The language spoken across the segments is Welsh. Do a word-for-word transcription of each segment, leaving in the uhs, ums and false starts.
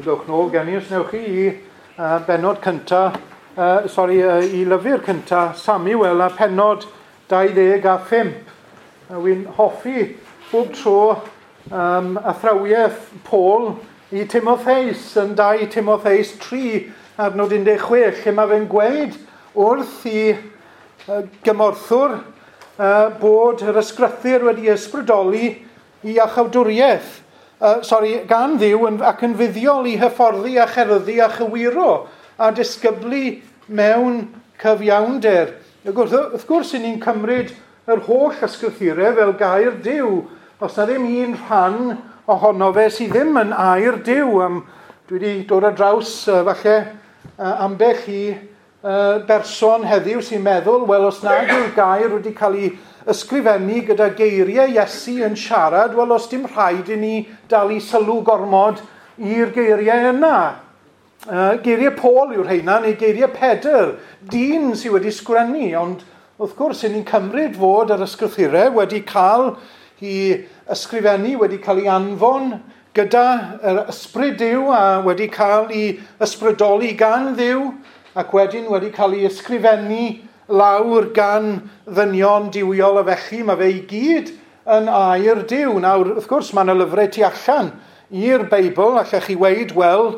Dewch nôl gen i os newch chi i uh, bennod cynta, uh, sori, uh, i lyfr cynta Samuel a pennod dau ddeg a phump. Uh, Wy'n hoffi bob tro um, athrawiaeth Paul i Timotheus yn dau Timotheus tri adnod un deg chwech, lle mae fe'n gweud wrth i uh, gymorthwr uh, bod yr ysgrythur wedi ysbrydoli i iachawdwriaeth. Uh, sorry, gan Dduw yn, ac yn fuddiol i hyfforddi a cherddi a chywiro a disgyblu mewn cyfiawnder. Wrth, wrth gwrs, i ni'n cymryd yr holl ysgrythurau fel gair Duw. Os na ddim un rhan ohono fe sydd ddim yn air Duw. Um, dwi wedi dod ar draws uh, falle uh, ambell i uh, berson heddiw sy'n meddwl, wel, os nad yw'r gair wedi cael ei ysgrifennu gyda geiriau Iesu yn siarad, wel, os dim rhaid i ni dalu sylw gormod i'r geiriau yna. Uh, geiriau Paul yw'r rheina, neu geiriau Pedr, dyn sydd wedi sgrennu, ond wrth gwrs, i ni'n cymryd fod yr ysgrythurau wedi cael ei ysgrifennu, wedi cael ei anfon gyda yr ysbryd Duw a wedi cael ei ysbrydoli gan Dduw, ac wedyn wedi cael ei ysgrifennu lawr gan ddynion duwiol, a felly mae fe i gyd yn air Duw. Nawr, wrth gwrs, mae yna lyfrau tu allan i'r Beibl, allech chi weud, wel,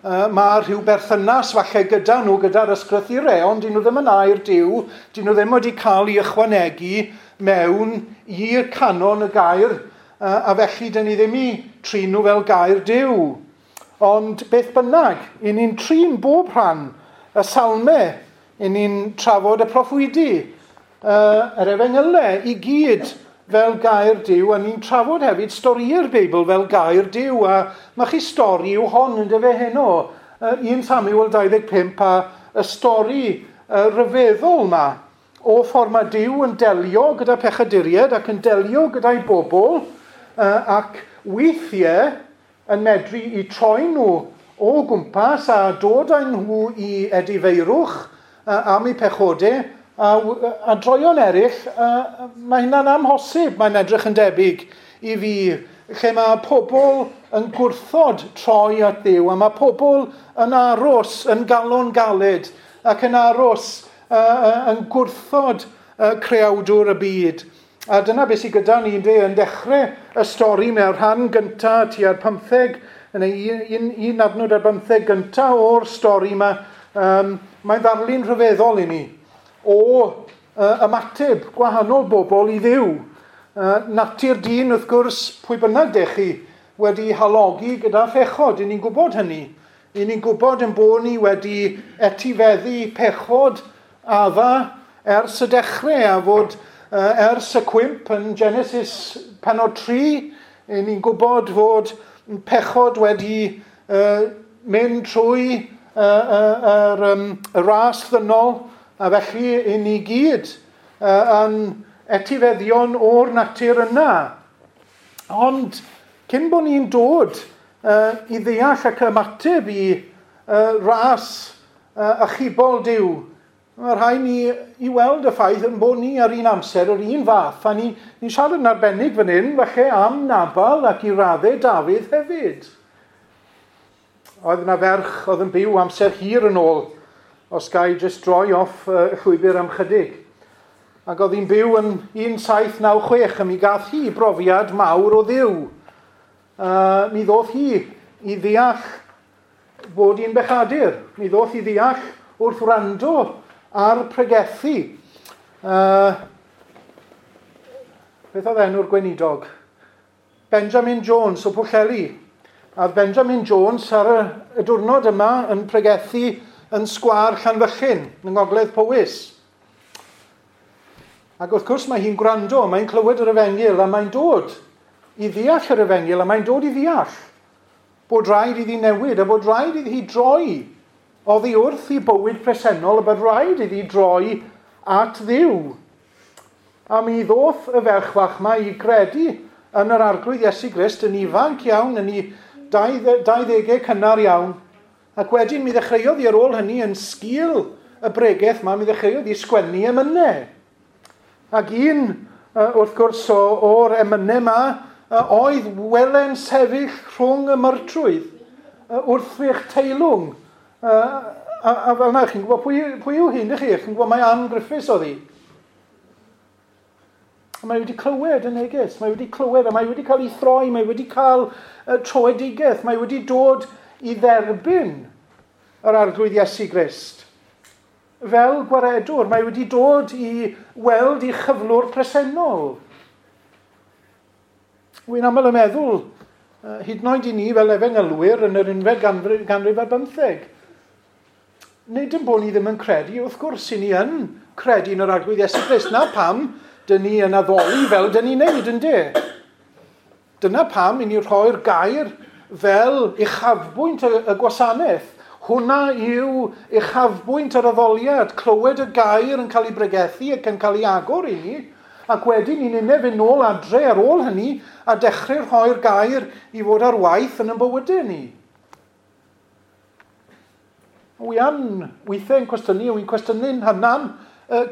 uh, mae rhyw berthynas falle gyda nhw, gyda'r ysgrythurau, ond dyn nhw ddim yn air Duw, dyn nhw ddim wedi cael ei ychwanegu mewn i'r canon y gair, uh, a felly dyn ni ddim i trin nhw fel gair Duw. Ond beth bynnag, i ni'n trin bob rhan y salmau, i ni'n trafod y proffwydi, uh, yr efengylau, i gyd fel gair Duw, a ni'n trafod hefyd stori'r Beibl fel gair Duw, a mae chi stori yw hon yn dyfe heno, uh, un Samuel dau ddeg pump, a y stori uh, ryfeddol ma, o ffordd mae Duw yn delio gyda pechaduriaid ac yn delio gyda'i bobl, uh, ac weithiau yn medru i troi nhw o gwmpas a dod â nhw i edifeirwch am eu pechodau, a, a droion eraill, a, mae hynna'n amhosib, mae'n edrych yn debyg i fi, lle mae pobl yn gwrthod troi at Dduw, a mae pobl yn aros yn galon galed, ac yn aros uh, yn gwrthod uh, creawdwr y byd. A dyna beth sydd gyda ni yn dechrau y stori mewn rhan gyntaf tua'r pymtheg, yn un, un, un adnod ar bymtheg gyntaf o'r stori yma. Um, mae'n ddarlun rhyfeddol i ni o uh, ymateb gwahanol bobl i Dduw. Uh, natur dyn, wrth gwrs, pwy bynnag dech chi wedi halogi gyda phechod, i ni'n gwybod hynny. I ni'n gwybod yn bod ni wedi etifeddu pechod Adda ers y dechrau, a fod uh, ers y cwymp yn Genesis pennod tri, i ni'n gwybod fod pechod wedi uh, mynd trwy yr uh, uh, um, y ras ddynol, a felly i ni gyd uh, yn etifeddion o'r natur yna. Ond cyn bod ni'n dod uh, i ddeall ac ymateb i uh, ras uh, achubol Duw, mae rhaid ni i weld y ffaith yn bod ni ar un amser yr un fath. A ni'n ni siarad yn arbennig fan hyn, falle am Nabal ac i raddau Dafydd hefyd. Oedd yna ferch oedd yn byw amser hir yn ôl, os ga i jyst droi off uh, y llwybr am chydig. Ac oedd hi'n byw yn un saith naw chwech, a mi gath hi brofiad mawr o Dduw. Uh, mi ddoth hi i ddeall bod hi'n bechadur. Mi ddoth hi ddeall wrth wrando ar pregethu. Uh, beth oedd enw'r gweinidog? Benjamin Jones o Pwllheli. A Benjamin Jones ar y, y diwrnod yma yn pregethu yn sgwâr Llanfyllin, yng Ngogledd Powys. Ac wrth gwrs mae hi'n gwrando, mae'n clywed yr efengyl a mae'n dod i ddeall yr efengyl a mae'n dod i ddeall bod rhaid iddi newid a bod rhaid iddi droi oddi wrth i bywyd presennol a bod rhaid iddi droi at Dduw. A mi ddoth y ferch fach yma i gredu yn yr Arglwydd Iesu Grist yn ifanc iawn, yn ei dauddegau cynnar iawn. Ac wedyn mi ddechreuodd hi ar ôl hynny yn sgil y bregeth yma, mi ddechreuodd hi sgwennu emynau. Ac un, wrth gwrs, o'r emynau yma oedd wele'n sefyll rhwng y myrtrwydd wrthrych teilwng. Uh, a, a fel yna, chi'n gwybod pwy, pwy yw hyn, chi? Chi'n gwybod mai Ann Griffiths oedd hi. A mae wedi clywed y neges, mae wedi clywed, a mae wedi cael ei throi, mae wedi cael uh, troedigaeth, mae wedi dod i dderbyn yr Arglwydd Iesu Grist. Fel gwaredwr, mae wedi dod i weld ei chyflwr presennol. Wy'n aml yn meddwl, uh, hyd yn oed i ni fel efengylwyr yn yr unfed ganrif, ganrif ar bymtheg, nid yn bod ni ddim yn credu, wrth gwrs, i ni yn credu yn yr Arglwydd Iesu Grist. Na pam dyn ni yn addoli fel dyn ni'n neud, yndê? Dyna pam i ni rhoi'r gair fel uchafbwynt y, y gwasanaeth. Hwna yw uchafbwynt yr addoliad, clywed y gair yn cael ei bregethu ac yn cael ei agor i ni, ac wedyn ni'n unig fynd nôl adre ar ôl hynny a dechrau rhoi'r gair i fod ar waith yn ein bywydau ni. Wi yn weithiau yn cwestiynu, wy'n cwestiynu'n hynan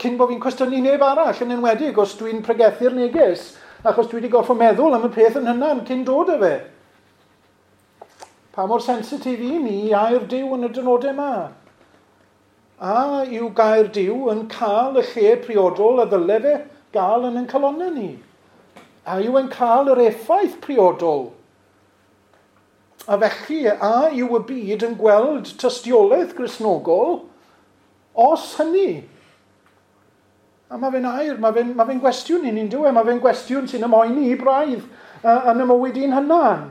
cyn bod fi'n cwestiynu neb arall, yn enwedig os dwi'n pregethu'r neges, achos dwi wedi gorfod meddwl am y peth yn hynan cyn dod â fe. Pa mor sensitif i ni i air Duw yn y dynodau yma? A yw gair Duw yn cael y lle priodol a ddyle fe gael yn ein calonnau ni? A yw e'n cael yr effaith priodol? A felly, a yw y byd yn gweld tystiolaeth Gristnogol os hynny? A mae fe'n air, mae fe'n ma fe gwestiwn i ni'n dyw e, mae fe'n gwestiwn sy'n ymhoeni i braidd uh, yn y mywyd i'n hynan.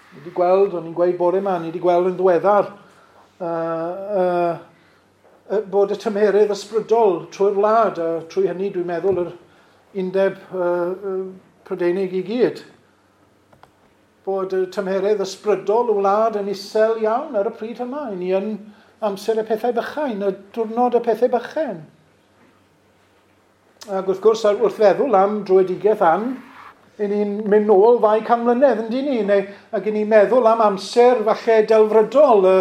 Ni wedi gweld, o'n i'n gweud bore yma, ni wedi gweld yn ddiweddar uh, uh, bod y tymheredd ysbrydol trwy'r wlad, a trwy hynny dwi'n meddwl yr undeb uh, uh, Prydeinig i gyd, bod y tymheredd ysbrydol y wlad yn isel iawn ar y pryd yma. Ni yn amser y pethau bychain, y diwrnod y pethau bychain. Ac wrth gwrs, wrth feddwl am dröedigaeth Ann, i ni'n mynd nôl ddau can mlynedd, yndyn ni? Neu, ac i ni'n meddwl am amser falle delfrydol, y,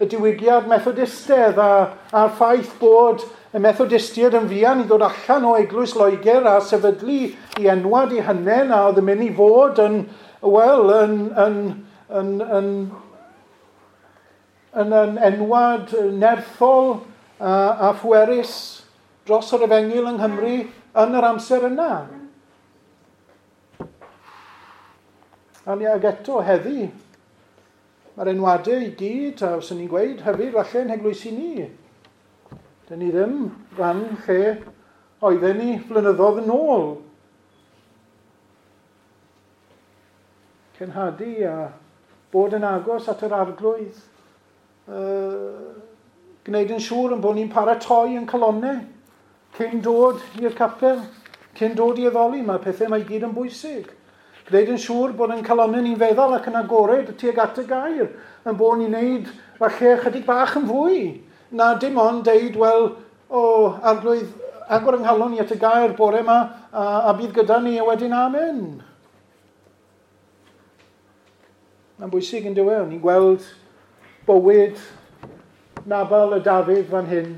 y diwygiad Methodistedd a, a'r ffaith bod y Methodistiaid yn fuan i ddod allan o Eglwys Loegr a sefydlu i enwad i hynen a oedd yn mynd i fod yn, wel, yn, yn, yn, yn, yn, yn enwad nerthol a, a phwerus dros yr efengyl yng Nghymru yn yr amser yna. A ni ag eto heddi, mae'r enwadau i gyd, a os ni'n gweud hefyd, falle yn heglwysi ni. Dyn ni ddim ran lle oedden ni flynyddoedd yn ôl. Cenhadu a bod yn agos at yr Arglwydd. Uh, gwneud yn siŵr yn bod ni'n paratoi yn calonnau cyn dod i'r capel, cyn dod i addoli. Mae pethau mae i gyd yn bwysig. Gwneud yn siŵr bod yn calonnau ni'n feddal ac yn agored tuag at y gair, yn bod ni'n neud falle chydig bach yn fwy na dim ond deud, wel, o, Arglwydd, agor yng nghalon i at y gair bore yma a, a bydd gyda ni a wedyn amen. Mae'n bwysig yn dyw e, ni'n gweld bywyd Nabal y Dafydd fan hyn.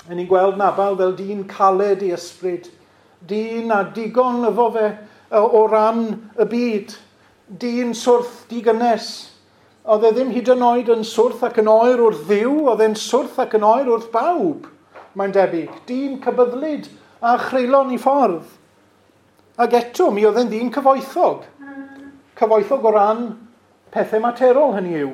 A ni'n gweld Nabal fel dyn caled i ysbryd, dyn a digon efo fe o ran y byd, dyn swrth digynnes. Oedd e ddim hyd yn oed yn swrth ac yn oer wrth Dduw, oedd e'n swrth ac yn oer wrth bawb, mae'n debyg. Dyn cybyddlyd a chreulon i ffordd. Ac eto, mi oedd e'n ddyn cyfoethog. Cyfoethog o ran pethau materol, hynny yw.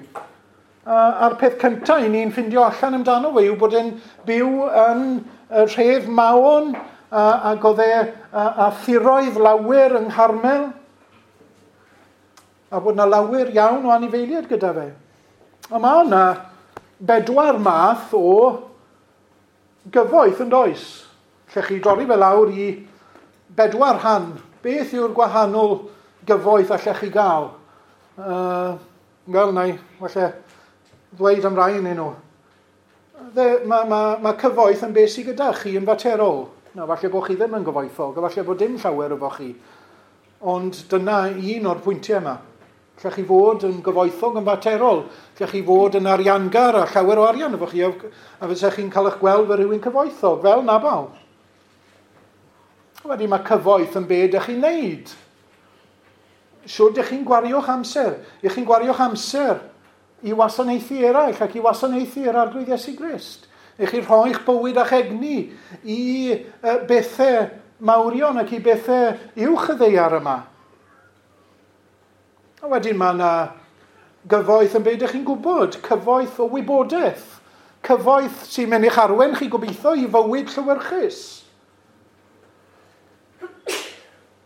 A, a'r peth cyntaf i ni'n ffindio allan amdano fe yw bod e'n byw yn y rhef Maon, a, ac oedd e a, a thiroedd lawer yng Ngharmel, a bod yna lawer iawn o anifeiliaid gyda fe. A mae yna bedwar math o gyfoeth yn does. Lle chi dorri fe lawr i bedwar rhan. Beth yw'r gwahanol gyfoeth allech chi gael? Uh, Wel, na i, falle ddweud am rai yn nhw. Mae ma, ma cyfoeth yn beth sydd gyda chi yn faterol. Na, falle bod chi ddim yn gyfoethog, a falle bod dim llawer efo chi. Ond dyna un o'r pwyntiau yma. Lle chi fod yn gyfoethog yn faterol, lle chi fod yn ariangar a llawer o arian efo chi, a fysa chi'n cael eich gweld fel rhywun cyfoethog, fel Nabal. Wedyn mae cyfoeth yn be ydych chi'n neud. Siwr ydych chi'n gwario'ch amser? Ych chi'n gwario'ch amser i wasanaethu eraill ac i wasanaethu yr Arglwydd Iesu Grist? Ych chi'n rhoi'ch bywyd a'ch egni i bethau mawrion ac i bethau uwch y ddaear yma? A wedyn mae yna gyfoeth yn beth ydych chi'n gwybod, cyfoeth o wybodaeth, cyfoeth sy'n mynd i'ch arwain chi gobeithio i fywyd llewyrchus.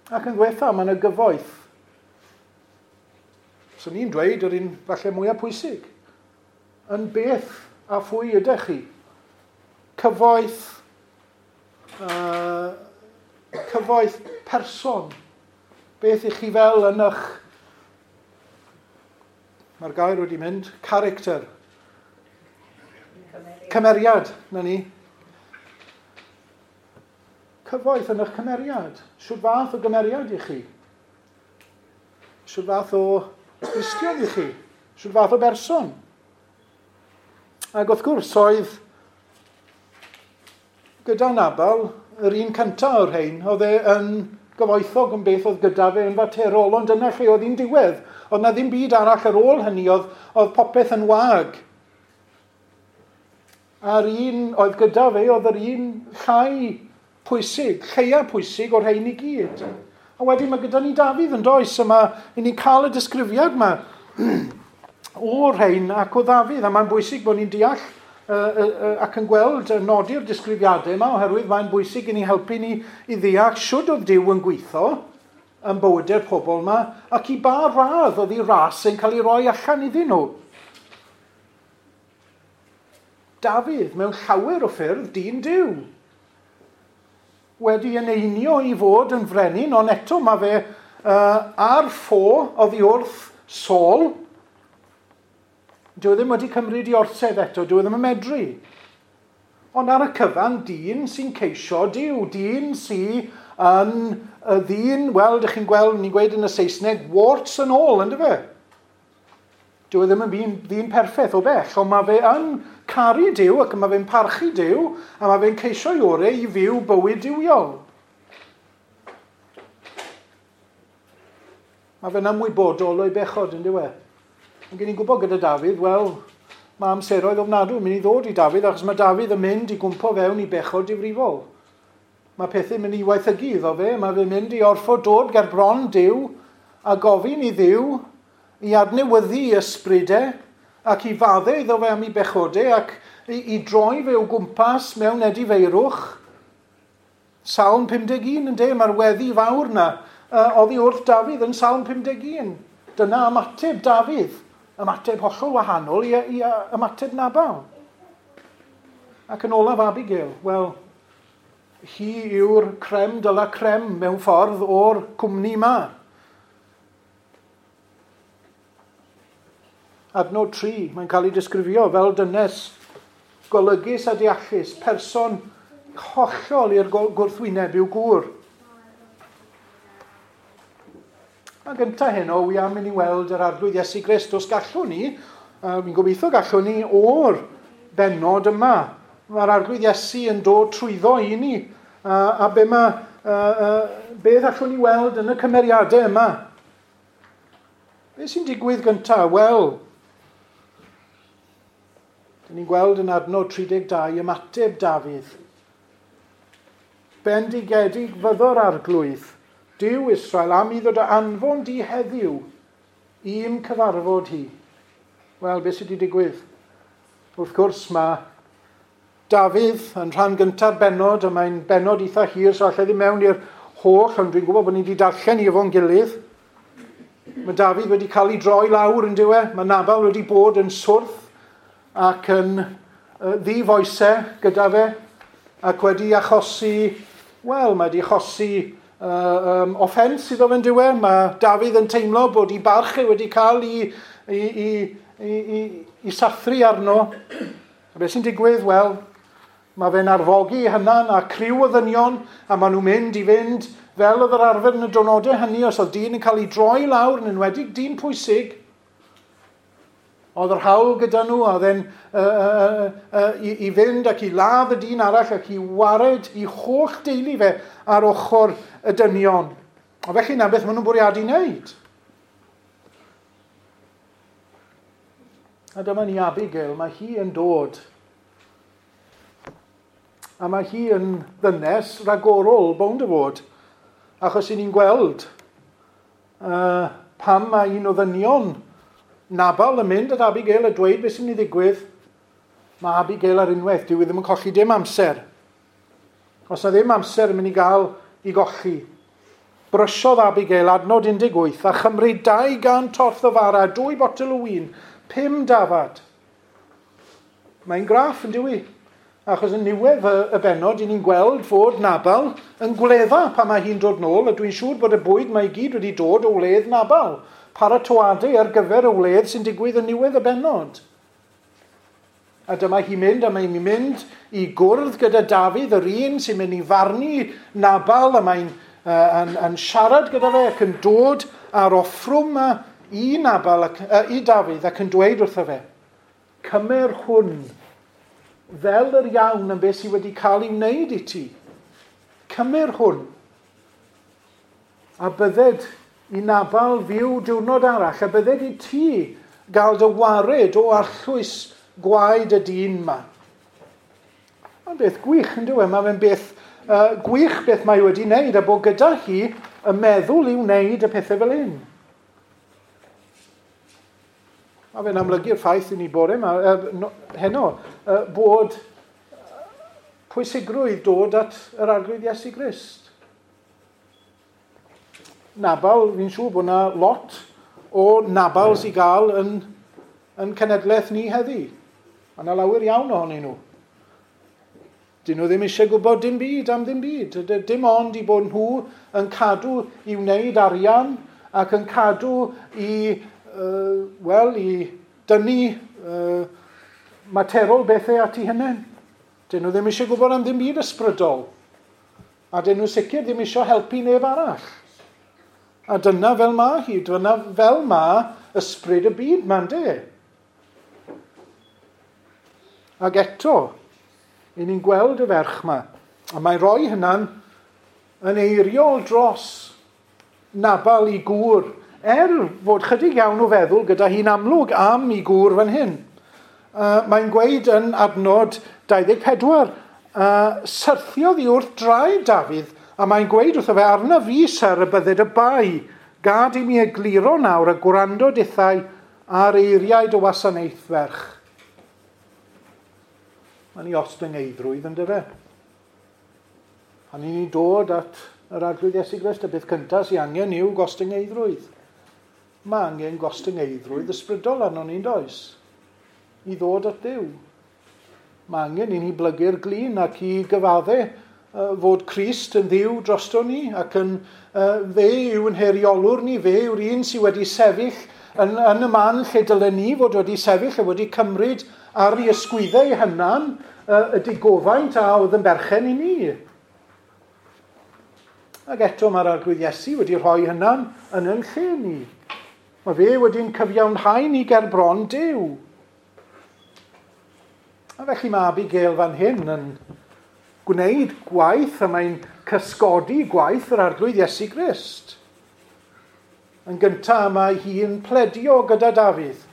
Ac yn ddiwetha, mae yna gyfoeth. So ni'n dweud yr un falle mwyaf pwysig. Yn beth a phwy ydych chi? Cyfoeth, uh, cyfoeth person. Beth ych chi fel yn eich... Mae'r gair wedi mynd. Character. Cymeriad. Cymeriad, na ni. Cyfoeth yn eich cymeriad. Shwt fath o gymeriad i chi? Shwt fath o Gristion i chi? Shwt fath o berson? Ac wrth gwrs oedd gyda Nabal, yr un cyntaf o'r rhain, oedd e yn gyfoethog yn beth oedd gyda fe yn faterol, ond dyna lle oedd hi'n diwedd. Oedd na ddim byd arall ar ôl hynny, oedd, oedd popeth yn wag. A'r un oedd gyda fe, oedd yr un llai pwysig, lleia pwysig o'r rhain i gyd. A wedyn mae gyda ni Dafydd yn does, yma, i ni'n cael y disgrifiad yma o'r rhain ac o Ddafydd, a mae'n bwysig bod ni'n deall uh, uh, uh, ac yn gweld uh, nodi'r disgrifiadau yma, oherwydd mae'n bwysig i ni helpu ni i ddeall shwd oedd Duw yn gweithio yn bywydau'r pobl yma, ac i ba radd oedd ei ras yn cael ei roi allan iddyn nhw. Dafydd, mewn llawer o ffyrdd, dyn Duw, wedi eneinio i fod yn frenin, ond eto mae fe uh, ar ffo oddi wrth Saul. Dyw e ddim wedi cymryd i orsedd eto, dyw e ddim yn medru. Ond ar y cyfan, dyn sy'n ceisio Duw, dyn sy'n yn y ddyn, wel, dych chi'n gweld, ni'n gweud yn y Saesneg, warts and all, ynddo fe? Dyw e ddim yn ddyn, ddyn perffaith o bell, ond mae fe yn caru Duw ac mae fe'n parchu Duw, a mae fe'n ceisio'i orau i fyw bywyd duwiol. Mae fe'n ymwybodol o'i bechod, yn dyw e? Ond gen i'n gwybod gyda Dafydd, wel, mae amseroedd ofnadwy yn mynd i ddod i Dafydd, achos mae Dafydd yn mynd i gwmpo fewn i bechod difrifol. Mae pethau'n mynd i waethygu iddo fe, mae fe'n mynd i orfod dod ger bron Duw a gofyn i Dduw i adnewyddu i ysbrydau ac i faddau iddo fe am ei bechodau ac i, i droi fe o gwmpas mewn edifeirwch. Salm pum deg un yn de, mae'r weddi fawr na uh, oddi wrth Dafydd yn Salm pum deg un. Dyna ymateb Dafydd, ymateb hollol wahanol i, i ymateb Nabal. Ac yn olaf Abigail, wel, hi yw'r creme de la creme mewn ffordd o'r cwmni ma. Adnod tri, mae'n cael ei disgrifio fel dynes golygus a deallus, person hollol i'r gwrthwyneb i'w gŵr. A gyntaf heno, wi am mynd i weld yr Arglwydd Iesu Grist. Os gallwn ni, uh, fi'n gobeithio gallwn ni o'r bennod yma. Mae'r Arglwydd Iesu yn dod trwyddo i ni. Uh, a be ma, uh, uh, beth allwn ni weld yn y cymeriadau yma? Be sy'n digwydd gyntaf? Wel, dyn ni'n gweld yn adnod tri deg dau ymateb Dafydd. Bendigedig fyddo'r Arglwydd, Duw Israel, am iddo dy anfon di heddiw i'm cyfarfod hi. Wel, beth sydd wedi digwydd? Wrth gwrs, mae Dafydd yn rhan gynta'r bennod, a mae'n bennod eitha hir, so allai ddim mewn i'r holl, ond dwi'n gwybod bod ni wedi darllen i efo'n gilydd. Mae Dafydd wedi cael ei droi lawr yn diwe. Mae Nabal wedi bod yn swrth ac yn uh, ddifoesau gyda fe, ac wedi achosi, wel, mae wedi achosi uh, um, offens iddo fe'n diwe. Mae Dafydd yn teimlo bod ei barch e wedi cael ei, ei, ei, ei, ei, ei sathru arno. A beth sy'n digwydd? Wel, mae fe'n arfogi hynna'n a criw o ddynion, a maen nhw'n mynd i fynd fel oedd yr arfer yn y diwrnodau hynny, os oedd dyn yn cael ei droi lawr, yn enwedig dyn pwysig, oedd yr hawl gyda nhw, oedd e'n uh, uh, uh, i, i fynd ac i ladd y dyn arall ac i wared i holl deulu fe ar ochr y dynion. A felly na beth maen nhw'n bwriadu wneud. A dyma ni Abigail, mae hi yn dod. A mae hi yn ddynes ragorol, bownd o fod. Achos i ni'n gweld uh, pam mae un o ddynion Nabal yn mynd at Abigail a dweud beth sy'n mynd i ddigwydd, mae Abigail ar unwaith, dyw e ddim yn colli dim amser. Os na ddim amser yn mynd i gael i golli. Brysiodd Abigail adnod un deg wyth a chymryd dau gant torth o fara, dwy botel o win, pum dafad. Mae'n graff yn dyw i. Achos yn niwedd y, y bennod, i ni'n gweld fod Nabal yn gwledda pan mae hi'n dod nôl, a dwi'n siŵr bod y bwyd mae i gyd wedi dod o wledd Nabal. Paratoadau ar gyfer y wledd sy'n digwydd yn niwedd y bennod. A dyma hi'n mynd, a mae'n mynd i gwrdd gyda Dafydd, yr un sy'n mynd i farnu Nabal, a mae'n uh, yn, yn siarad gyda fe ac yn dod ar offrwm yma i Nabal, ac, uh, i Dafydd, ac yn dweud wrtho fe, cymer hwn fel yr iawn yn beth sydd wedi cael ei wneud i ti. Cymer hwn. A bydded i Nabal fyw diwrnod arall, a bydded i ti gael dy wared o arllwys gwaed y dyn ma. Mae'n beth gwych, yn dyw e? Mae fe'n beth uh, gwych beth mae wedi wneud, a bod gyda hi y meddwl i wneud y pethau fel hyn. Mae fe'n amlygu'r ffaith i ni bore yma, uh, no, heno, uh, bod pwysigrwydd dod at yr Arglwydd Iesu Grist. Nabal, fi'n siŵr bod yna lot o Nabals i gael yn, yn cenedlaeth ni heddi. Mae yna lawer iawn ohonyn nhw. Dyn nhw ddim eisiau gwybod dim byd am ddim byd. Dim ond i bod nhw yn cadw i wneud arian ac yn cadw i, uh, wel, i dynnu uh, materol bethau at ei hunain. Dyn nhw ddim eisiau gwybod am ddim byd ysbrydol. A dyn nhw sicr ddim eisiau helpu neb arall. A dyna fel ma hi, dyna fel ma ysbryd y byd ma'n de. Ac eto, i ni'n gweld y ferch ma, a mae'n rhoi hynna'n yn eiriol dros Nabal i gŵr, er fod chydig iawn o feddwl gyda hi'n amlwg am i gŵr fan hyn. Uh, mae'n gweud yn adnod dau ddeg pedwar, uh, syrthiodd i wrth draed Dafydd, a mae'n gweud wrtho fe, arna fi ser y bydded y bai, gad i mi egluro nawr a gwrando dithau ar eiriau dy wasanaeth ferch. Mae'n ei ostyngeidrwydd yn dyfe. Pan i ni dod at yr Arglwydd Iesu Grist, y beth cyntaf sy'n angen yw gostyngeiddrwydd. Mae angen gostyngeiddrwydd ysbrydol arnon ni'n does, i ddod at Dduw. Mae angen i ni blygu'r glin ac i gyfadde fod Crist yn Dduw drosto ni, ac yn, uh, fe yw'n heriolwr ni, fe yw'r un sydd wedi sefyll yn, yn y man lle dylen ni fod wedi sefyll a wedi cymryd ar ei ysgwyddau ei hunan uh, y digofaint a oedd yn berchen i ni. Ac eto mae'r Arglwydd Iesu wedi rhoi hynna'n yn yn lle ni. Mae fe wedi'n cyfiawnhau ni ger bron Duw. A felly mae Abigail fan hyn yn gwneud gwaith, a mae'n cysgodi gwaith yr Arglwydd Iesu Grist. Yn gyntaf mae hi'n pledio gyda Dafydd.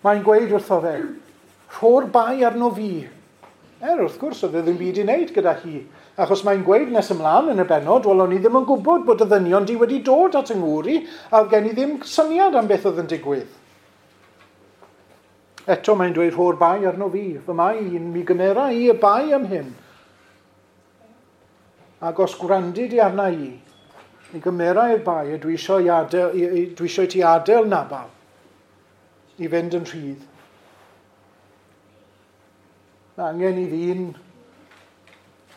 Mae'n gweud wrtho fe, rho'r bai arno fi. Er, wrth gwrs, oedd e ddim byd i wneud gyda hi. Achos mae'n gweud nes ymlaen yn y bennod, wel, o'n i ddim yn gwybod bod y ddynion di wedi dod at yng ngŵr i, a oedd gen i ddim syniad am beth oedd yn digwydd. Eto mae'n dweud rho'r bai arno fi. Fy mai un, mi gymera i y bai am hyn. Ac os gwrandi di arna i, mi gymera i'r bai a dwi eisiau, i adael, dwi eisiau ti adael Nabal i fynd yn rhydd. Mae angen i ddyn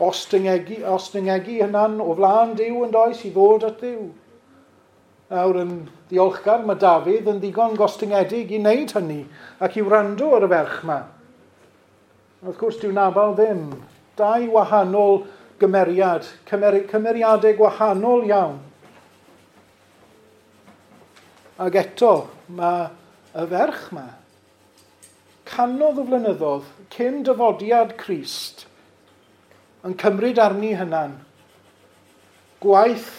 ostyngegu, ostyngegu hynna'n o flaen Duw yn does i ddod at Dduw. Nawr yn ddiolchgar, mae Dafydd yn ddigon gostyngedig i wneud hynny ac i wrando ar y ferch yma. Wrth gwrs, dyw Nabal ddim. Dau wahanol gymeriad, cymeri, cymeriadau gwahanol iawn. Ac eto, mae y ferch yma, canodd o flynyddoedd cyn dyfodiad Crist, yn cymryd arni hynna'n gwaith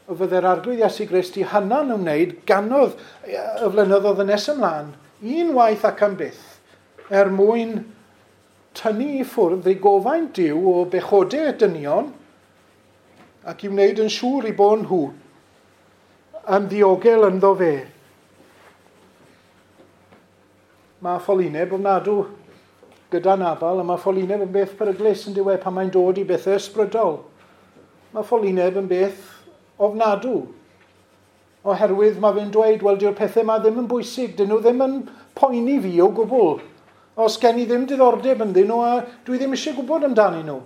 y fydde'r Arglwydd Iesu Grist i hynna'n ymwneud ganodd y flynyddoedd yn nes ymlaen unwaith ac am byth er mwyn tynnu i ffwrdd ei gofaint Duw o bechodau dynion ac i wneud yn siŵr i bod nhw yn ddiogel ynddo fe. Mae ffolineb ofnadw gyda Nabal, a mae ffolineb yn beth peryglus yn diwedd pan mae'n dod i bethau ysbrydol. Mae ffolineb yn beth ofnadw, oherwydd mae fe'n dweud, wel, dyw'r pethau yma ddim yn bwysig, dyn nhw ddim yn poeni fi o gwbl. Os gen i ddim diddordeb ynddyn nhw, a dwi ddim eisiau gwybod amdanyn nhw.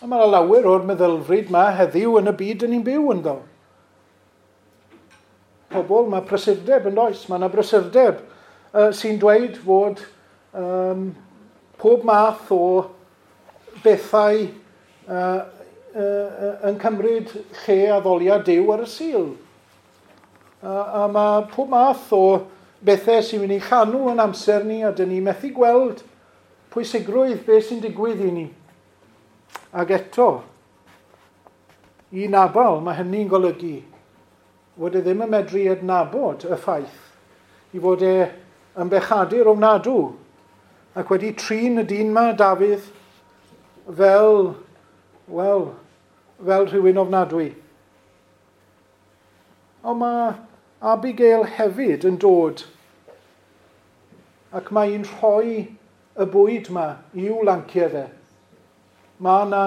A mae yna lawer o'r meddylfryd yma heddiw yn y byd yn ni'n byw ynddo. Pobl, mae prysurdeb yn does, mae yna brysurdeb uh, sy'n dweud fod um, pob math o bethau uh, uh, yn cymryd lle addoliad Duw ar y Sul. Uh, a mae pob math o bethau sy'n mynd i llanw yn amser ni, a dyn ni methu gweld pwysigrwydd beth sy'n digwydd i ni. Ac eto, i Nabal, mae hynny'n golygu fod e ddim yn medru adnabod y ffaith i fod e yn bechadur ofnadw ac wedi trin y dyn ma, Dafydd, fel, wel, fel rhywun ofnadwy. Ond mae Abigail hefyd yn dod ac mae hi'n rhoi y bwyd ma i'w lanciau fe. Mae yna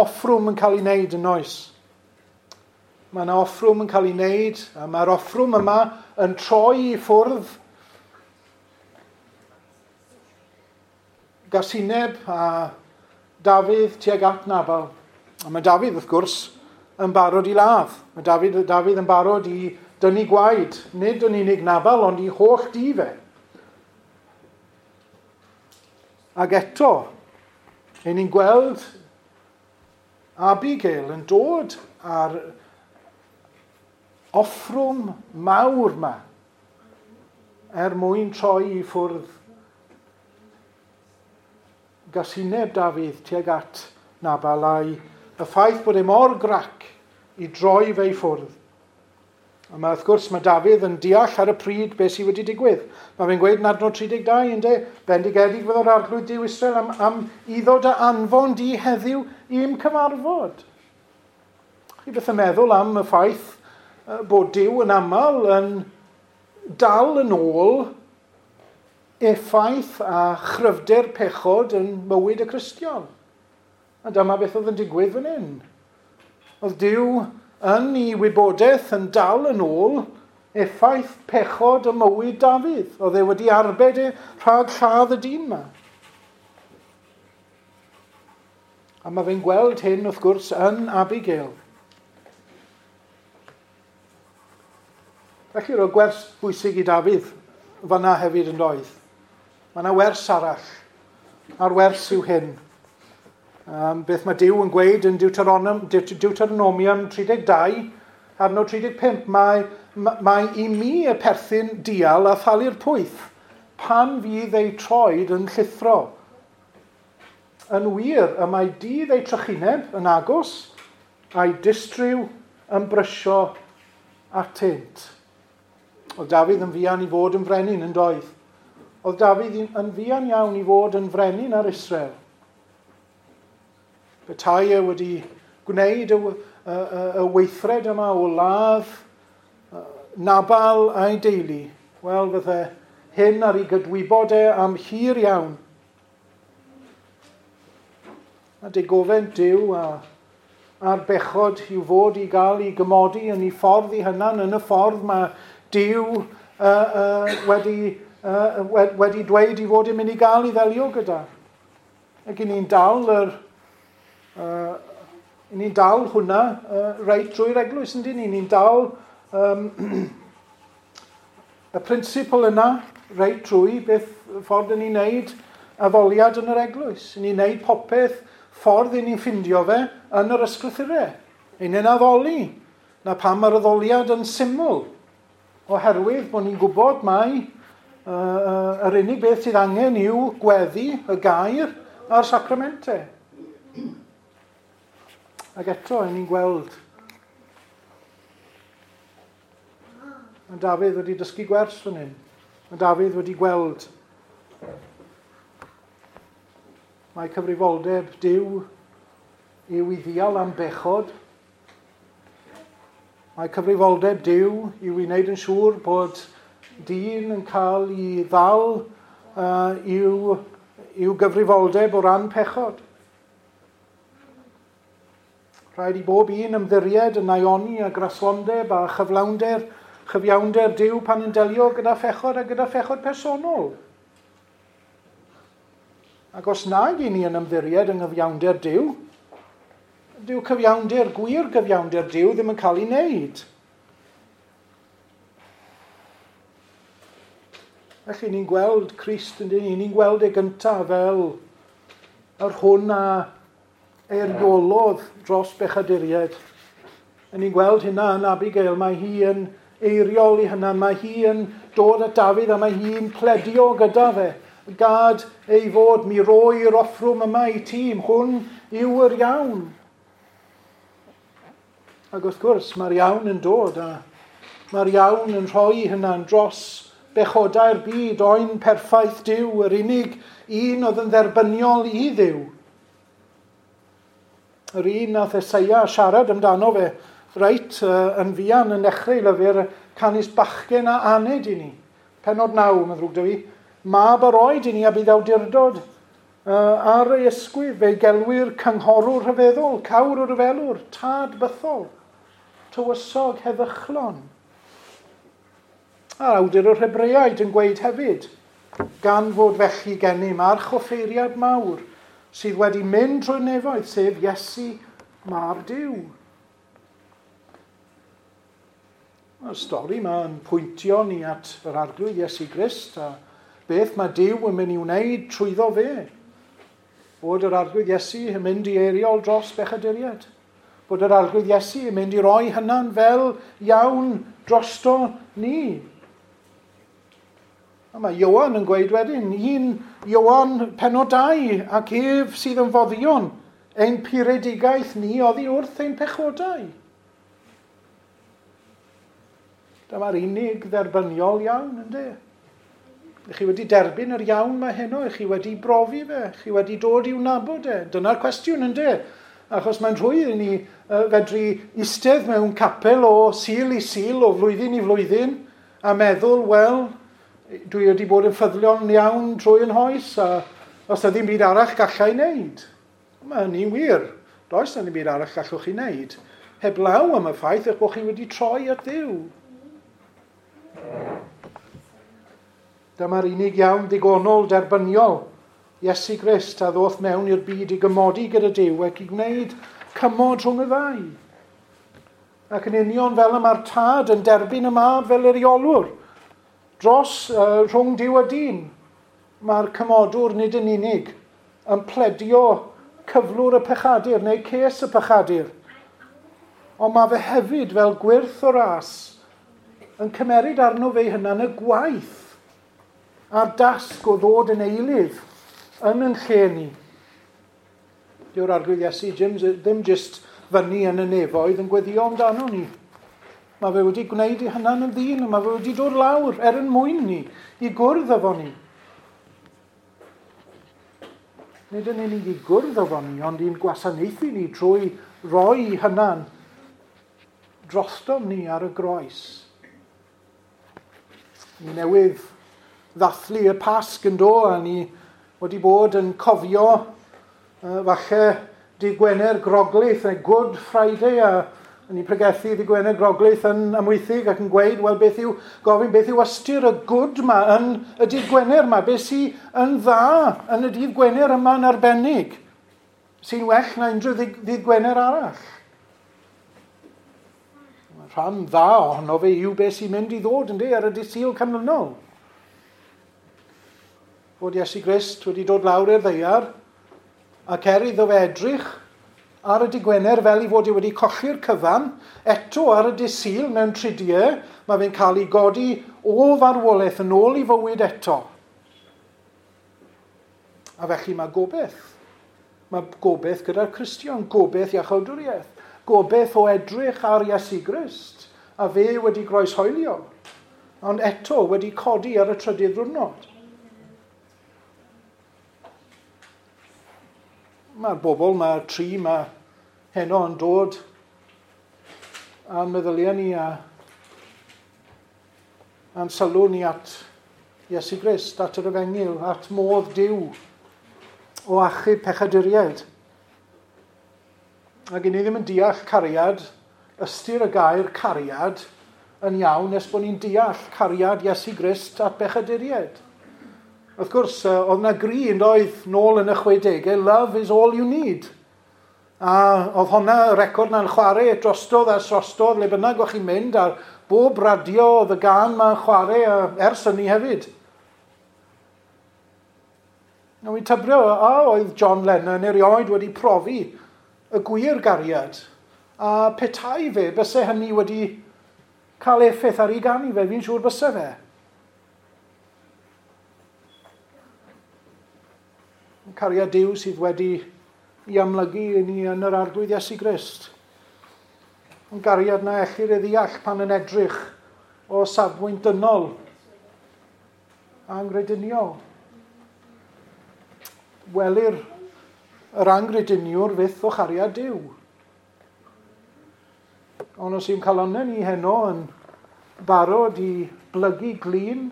offrwm yn cael ei wneud yn oes. Mae yna offrwm yn cael ei wneud, a mae'r offrwm yma yn troi i ffwrdd gasineb a Dafydd tuag at Nabal. A mae Dafydd, wrth gwrs, yn barod i ladd. Mae Dafydd, Dafydd yn barod i dynnu gwaed, nid yn unig Nabal, ond i holl dŷ fe. Ac eto, ein ni'n gweld Abigail yn dod ar offrwm mawr ma er mwyn troi i ffwrdd gasineb Dafydd tuag at Nabal a'i y ffaith bod e mor grac i droi fe i ffwrdd. A mae, wrth gwrs, mae Dafydd yn deall ar y pryd beth sydd wedi digwydd. Mae fe'n gweud yn adnod tri deg dau, ynde, bendigedig fyddo'r Arglwydd Duw Israel am, am iddo dy anfon di heddiw i'm cyfarfod. Chi beth yn meddwl am y ffaith bod Duw yn aml yn dal yn ôl effaith a chryfder pechod yn mywyd y Cristion. A dyma beth oedd yn digwydd fan hyn. Oedd Duw yn ei wybodaeth yn dal yn ôl effaith pechod y mywyd Dafydd. Oedd e wedi arbed e rhag lladd y dyn yma. A mae fe'n gweld hyn, wrth gwrs, yn Abigail. Felly roedd gwers bwysig i Dafydd fanna hefyd yn doedd. Mae yna wers arall, a'r wers yw hyn. Um, beth mae Duw yn gweud yn Deuteronomium, Deuteronomium tri deg dau, adnod tri deg pump, mae, mae i mi y perthyn dial a thalu'r pwyth pan fydd ei troed yn llithro. Yn wir, y mae dydd ei trychineb yn agos a'i distryw yn brysio atynt. Oedd Dafydd yn fuan i fod yn frenin yn doedd. Oedd Dafydd yn fuan iawn i fod yn frenin ar Israel. Petai e wedi gwneud y, y, y, y weithred yma o ladd Nabal a'i deulu, wel, fydde hyn ar ei gydwybod e am hir iawn. A digofaint Duw a, a'r bechod i'w fod i gael ei gymodi yn ei ffordd ei hunan, yn y ffordd mae Duw uh, uh, wedi, uh, wedi dweud i fod yn mynd i gael ei ddelio gyda. Ac i ni'n dal yr Uh, ni'n dal hwnna uh, reit drwy'r eglwys, yndyn ni? Ni'n dal um, y principal yna reit drwy beth ffordd ni'n neud addoliad yn yr eglwys. Ni'n neud popeth ffordd i ni'n ffindio fe yn yr ysgrythurau. Ni'n addoli. Na pam mae'r addoliad yn syml. Oherwydd bod ni'n gwybod mai uh, uh, yr unig beth sydd angen yw gweddi, y gair a'r sacramentau. Ac eto, ni'n gweld mae Dafydd wedi dysgu gwers fan hyn. Mae Dafydd wedi gweld mae cyfrifoldeb Duw yw i ddial am bechod. Mae cyfrifoldeb Duw yw i wneud yn siŵr bod dyn yn cael ei ddal uh, i'w, i'w gyfrifoldeb o ran pechod. Rhaid i bob un ymddiried yn naioni a graslondeb a chyflawnder, chyfiawnder Duw pan yn delio gyda phechod a gyda phechod personol. Ac os nag i ni yn ymddiried yng nghyfiawnder Duw, dyw cyfiawnder, gwir gyfiawnder Duw ddim yn cael ei wneud. Felly ni'n gweld Crist yn dyn ni, ni'n gweld e gyntaf fel yr hwn a eiriolodd dros bechaduriaid. A ni'n gweld hynna yn Abigail, mae hi yn eiriol i hynna, mae hi yn dod at Dafydd a mae hi'n pledio gyda fe. Gad ei fod, mi roi'r offrwm yma i tîm, hwn yw yr iawn. Ac wrth gwrs, mae'r iawn yn dod a mae'r iawn yn rhoi hynna'n dros bechodau'r byd, oen perffaith Duw, yr unig un oedd yn dderbyniol i Dduw. Yr un nath Eseia siarad amdano fe, reit, yn fuan yn dechrau lyfr canys bachgen a aned i ni. Pennod naw, mae'n ddrwg 'da fi. Mab yr oed i ni a bydd awdurdod uh, ar ei ysgwydd, fe'i gelwir cynghorwr rhyfeddol, cawr o ryfelwr, tad bythol, tywysog heddychlon. A'r awdur o'r Hebreaid yn gweud hefyd, gan fod felly gennym archoffeiriad mawr sydd wedi mynd trwy'r nefoedd, sef Iesu, mab Duw. Mae'r stori yma yn pwyntio ni at yr Arglwydd Iesu Grist a beth mae Duw yn mynd i wneud trwyddo fe. Bod yr Arglwydd Iesu yn mynd i eiriol dros bechaduriaid. Bod yr Arglwydd Iesu yn mynd i roi hynna'n fel iawn drosto ni. A mae Ioan yn gweud wedyn, un Ioan pennod dau, ac ef sydd yn foddion ein puredigaeth ni oddi wrth ein pechodau. Dyma'r unig dderbyniol iawn, ynddo? Chi wedi derbyn yr iawn mae heno, chi wedi brofi fe, chi wedi dod i'w nabod e. Dyna'r cwestiwn, ynddo? Achos mae'n rhwydd i ni uh, fedru eistedd mewn capel o Sul i Sul, o flwyddyn i flwyddyn, a meddwl, wel, dwi wedi bod yn ffyddlon iawn trwy yn hoes, a os yna ddim byd arall gallai wneud. Mae hynny'n wir. Does yna ddim byd arall gallwch chi wneud. Heblaw am y ffaith eich bod chi wedi troi at Dduw. Dyma'r unig iawn digonol derbyniol, Iesu Grist a ddoth mewn i'r byd i gymodi gyda Duw ac i gwneud cymod rhwng y ddau. Ac yn union fel y mae'r tad yn derbyn y mab fel yr eiriolwr dros uh, rhwng Duw a dyn, mae'r cymodwr nid yn unig yn pledio cyflwr y pechadur neu ces y pechadur, ond mae fe hefyd fel gwyrth o ras yn cymeryd arno fe hunan y gwaith a'r dasg o ddod yn eilydd yn yn lle ni. Dyw'r Arglwydd Iesu ddim jyst fyny yn y nefoedd yn gweddio amdano ni. Mae fe wedi gwneud ei hunan yn ddyn, a mae fe wedi dod lawr er yn mwyn ni, i gwrdd efo ni. Nid yn unig i gwrdd efo ni, ond i'n gwasanaethu ni trwy roi hunan drostom ni ar y groes. Ni newydd ddathlu y Pasg yn do, a ni wedi bod yn cofio uh, falle Dydd Gwener Groglith, neu Good Friday, a ni'n pregethu Dydd Gwener Groglith yn Amwythig ac yn gweud, wel, beth yw, gofyn beth yw ystyr y good ma yn y Dydd Gwener ma, beth sy'n yn dda yn y Dydd Gwener yma yn arbennig, sy'n well na unrhyw Ddydd Gwener arall. Rhan dda ohono fe yw beth sy'n mynd i ddod yndi ar y Dydd Sul canlynol. Fod Iesu Grist wedi dod lawr i'r ddaear ac er iddo fe edrych ar y Dydd Gwener fel ei fod e wedi colli'r cyfan, eto ar y Dydd Sul mewn tridiau, mae fe'n cael ei godi o farwolaeth yn ôl i fywyd eto. A felly mae gobeith. Mae gobeith gyda'r Cristion, gobeith iachawdwriaeth, gobeith o edrych ar Iesu Grist, a fe wedi groeshoelio. Ond eto wedi codi ar y trydydd diwrnod. Mae'r bobl, mae'r tri, mae heno yn dod a'n meddyliau ni a a'n sylw ni at Iesu Grist, at yr Efengyl, at modd Duw o achub pechaduriaid. Ac i ni ddim yn deall cariad, ystyr y gair cariad yn iawn nes bod ni'n deall cariad Iesu Grist at bechaduriaid. Wrth gwrs, oedd yna gri yn doedd nôl yn y chwedegau, love is all you need. A oedd hwnna, y record na'n chwarae drostodd a drostodd, le bynnag o'ch chi'n mynd, ar bob radio oedd y gân ma'n chwarae ers hynny hefyd. Nawr wy'n tybio, a oedd John Lennon erioed wedi profi y gwir gariad. A petai fe, byse hynny wedi cael effaith ar ei ganu fe, fi'n siŵr byse fe. Cariad Duw sydd wedi i amlygu i ni yn yr Arglwydd Iesu Grist. Yn gariad na ellir ei ddeall pan yn edrych o safbwynt dynol angrediniol. Welir yr angrediniwr fyth o chariad Duw. Ond os yw'n calonnau ni heno yn barod i blygu glin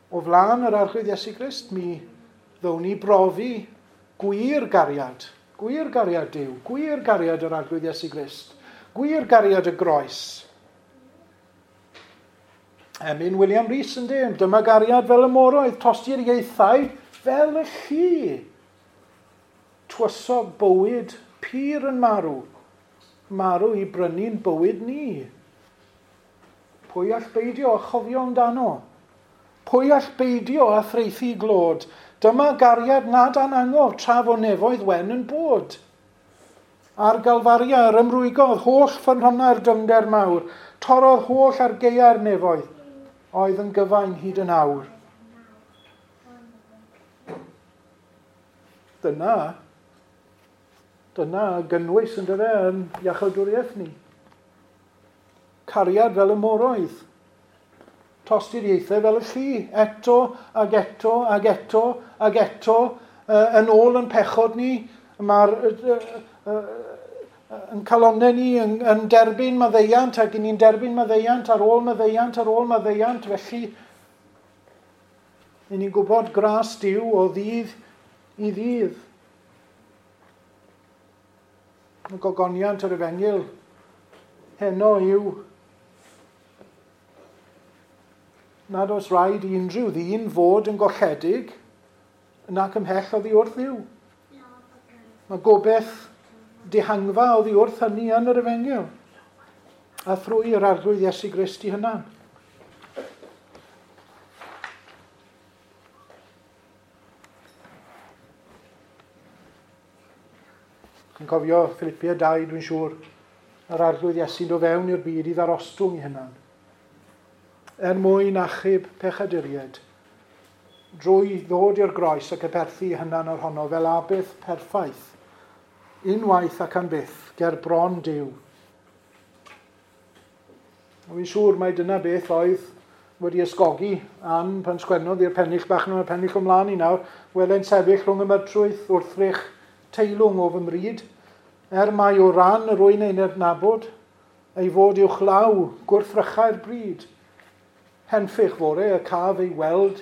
o flaen yr Arglwydd Iesu Grist, mi ddown ni brofi gwir gariad, gwir gariad Duw, gwir gariad yr Arglwydd Iesu Grist, gwir gariad y groes. Emyn William Rees yn dweud, dyma gariad fel y moroedd, tosti'r ieithau fel y llu. Twysog bywyd pur yn marw, marw i brynu'n bywyd ni. Pwy all beidio a chofio amdano? Pwy all beidio a threithi glod? Dyma gariad nad anangof tra fo nefoedd wen yn bod. Ar Galfaria yr ymrwygodd holl ffynhonnau'r dyfnder mawr, torrodd holl argeiau'r nefoedd, oedd yn gyfain hyd yn awr. Dyna, dyna gynnwys yn dyfe yn iachawdwriaeth ni. Cariad fel y moroedd. Tosturiaethau fel y llu, eto ag eto ag eto ag eto, uh, yn ôl yn pechod ni, mae'r uh, uh, uh, yn calonnau ni yn, yn derbyn maddeuant ac ni'n derbyn maddeuant ar ôl maddeuant ar ôl maddeuant, felly ni'n gwybod gras Duw o ddydd i ddydd. Y gogoniant yr Efengyl heno yw nad oes rhaid i unrhyw ddyn fod yn golledig nac ymhell oddi wrth Dduw. Mae gobeith dihangfa oddi wrth hynny yn yr Efengyl a thrwy yr Arglwydd Iesu Grist i hunan. Chi'n cofio Philippiaid dau, dwi'n siŵr, yr Arglwydd Iesu'n dod fewn i'r byd i ddarostwng i hunan, er mwyn achub pechaduriaid, drwy ddod i'r groes ac aberthu hunan ar honno fel aberth perffaith, unwaith ac am byth, ger bron Duw. A fi'n siŵr mai dyna beth oedd wedi ysgogi Ann pan sgwennodd i'r pennill bach nhw, y pennill ymlaen i nawr, wele'n sefyll rhwng y mydrwyth wrthrych teilwng o fy mryd, er mai o ran yr wy'n ein adnabod, ei fod uwchlaw gwrthrychau'r bryd. Henffych fore y caf ei weld,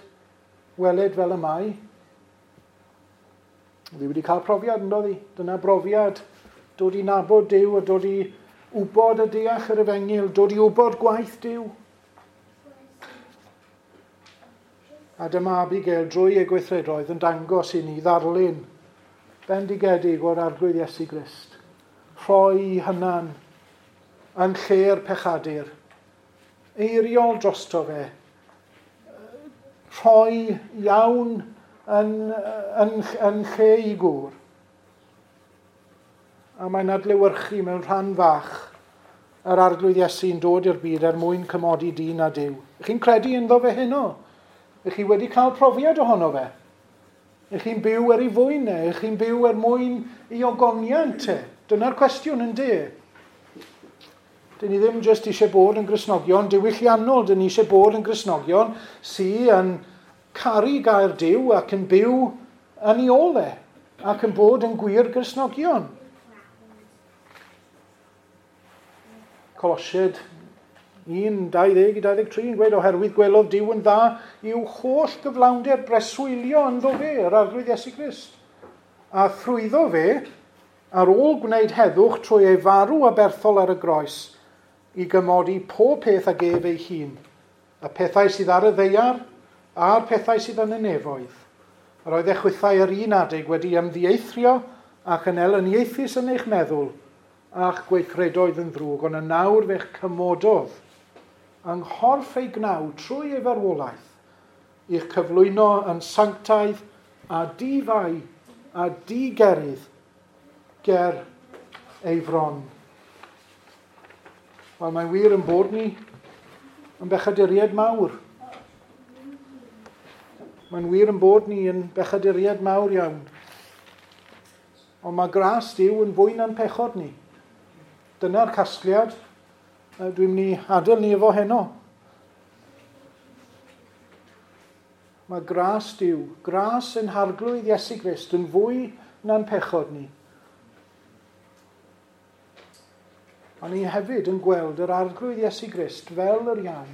weled fel y mae. Oedd hi wedi cael profiad, yn doedd hi? Dyna brofiad, dod i nabod Duw a dod i wybod a deall yr Efengyl, dod i wybod gwaith Duw. A dyma Abigail drwy ei gweithredoedd yn dangos i ni ddarlun bendigedig o'r Arglwydd Iesu Grist. Rhoi hunan yn lle'r pechadur, eiriol drosto fe, rhoi iawn yn, yn, yn lle i gŵr. A mae'n adlewyrchu mewn rhan fach yr Arglwydd Iesu'n dod i'r byd er mwyn cymodi dyn a Duw. Chi'n credu ynddo fe heno? Ych chi wedi cael profiad ohono fe? Ych chi'n byw er ei fwyn e? Ych chi'n byw er mwyn ei ogoniant e? Dyna'r cwestiwn yn de. Dyn ni ddim jyst eisiau bod yn Gristnogion diwylliannol, dyn ni eisiau bod yn Gristnogion sydd yn caru gair Duw ac yn byw yn ei ôl e, ac yn bod yn gwir Gristnogion. Colosiaid un, dau ddeg i dau ddeg tri yn gweud, oherwydd gwelodd Duw yn dda i'w holl gyflawnder breswylio ynddo fe, yr Arglwydd Iesu Grist. A thrwyddo fe, ar ôl gwneud heddwch trwy ei farw aberthol ar y groes, i gymodi pob peth ag ef ei hun, y pethau sydd ar y ddaear a'r pethau sydd yn y nefoedd. Yr oedd eich chwithau ar un adeg wedi ymddieithrio ac yn elyniaethus yn eich meddwl a'ch gweithredoedd yn ddrwg, ond yn nawr fe'ch cymododd yng nghorff ei gnaw trwy ei farwolaeth, i'ch cyflwyno yn sanctaidd a difai a digerydd ger ei fron. Wel, mae'n wir yn bod ni yn bechaduriaid mawr. Mae'n wir yn bod ni yn bechaduriaid mawr iawn. Ond mae gras Duw yn fwy na'n pechod ni. Dyna'r casgliad dwi'n mynd i adael ni efo heno. Mae gras Duw, gras yn Harglwydd Iesu Grist yn fwy na'n pechod ni. A ni hefyd yn gweld yr Arglwydd Iesu Grist fel yr iawn.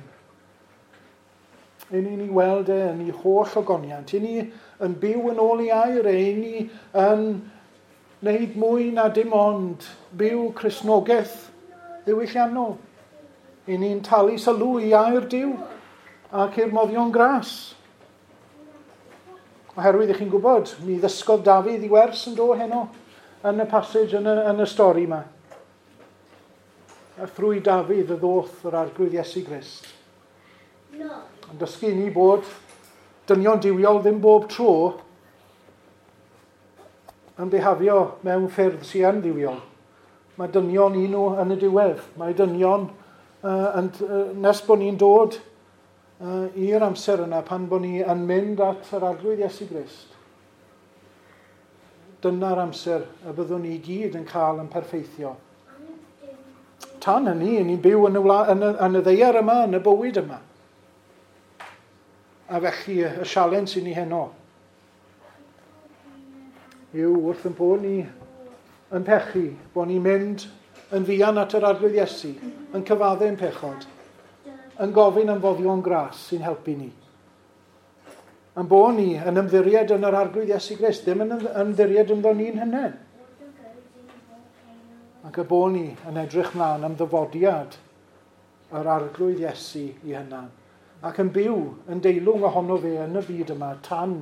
I ni'n ei weld e yn ei holl ogoniant. I ni yn byw yn ôl ei air e. I ni yn wneud mwy na dim ond byw Cristnogaeth ddiwylliannol. I ni'n talu sylw i air Duw ac i'r moddion gras. Oherwydd i chi'n gwybod, mi ddysgodd Dafydd i wers yn do heno yn y passage, yn y, yn y stori yma. A thrwy Dafydd y ddoth yr Arglwydd Iesu Grist. No. Yn dysgu ni bod dynion duwiol ddim bob tro yn bihafio mewn ffyrdd sy'n yn dduwiol. Mae dynion un nhw yn y diwedd. Mae dynion uh, yn, uh, nes bod ni'n dod uh, i'r amser yna pan bod ni yn mynd at yr Arglwydd Iesu Grist. Dyna'r amser y byddwn ni gyd yn cael yn perffeithio. Tan hynny, ni'n byw yn y, wla, yn y, yn y ddaear yma, yn y bywyd yma. A felly y sialens i ni heno yw wrth yn bod ni yn pechu, bod ni'n mynd yn fuan at yr Arglwydd Iesu, yn cyfaddau'n pechod, yn gofyn am foddion gras sy'n helpu ni. Yn bod ni yn ymddiried yn yr Arglwydd Iesu Grist, ddim yn ymddiried ynddo ni'n hunain. Ac y bod ni yn edrych mlaen am ddyfodiad yr Arglwydd Iesu i hunan, ac yn byw yn deilwng ohono fe yn y byd yma tan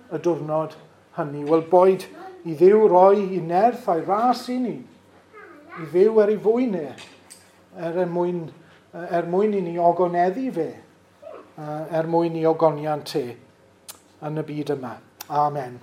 y diwrnod hynny. Wel, boed i Dduw roi i nerth a'i ras i ni, i fyw er ei fwyn e, er mwyn, er mwyn i ni ogoneddu fe, er mwyn i ogoniant e yn y byd yma. Amen.